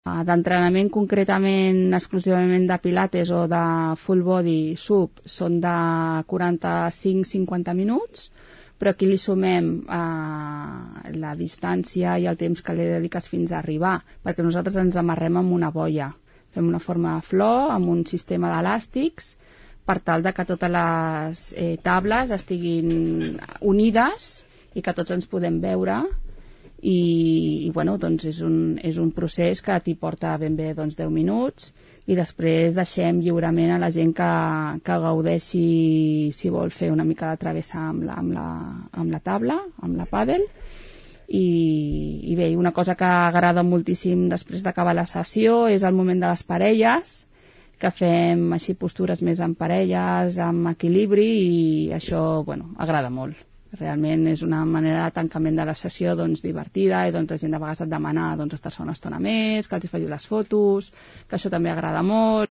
D'entrenament concretament exclusivament de pilates o de full body sub són de 45-50 minuts, però aquí li sumem la distància i el temps que li dediques fins a arribar, perquè nosaltres ens amarrem amb una boia. Fem una forma de flor amb un sistema d'elàstics per tal de que totes les tables estiguin unides i que tots ens podem veure. I bueno, doncs és un procés que t'hi porta ben bé 10 minuts i després deixem lliurement a la gent que gaudeixi si vol fer una mica de travessa amb la taula, amb la pàdel. I bé, una cosa que agrada moltíssim després d'acabar la sessió és el moment de les parelles, que fem així postures més en parelles, amb equilibri, i això agrada molt. Realment és una manera de tancament de la sessió divertida, i la gent de vegades et demana estar-se una estona més, que els hi faci les fotos, que això també agrada molt.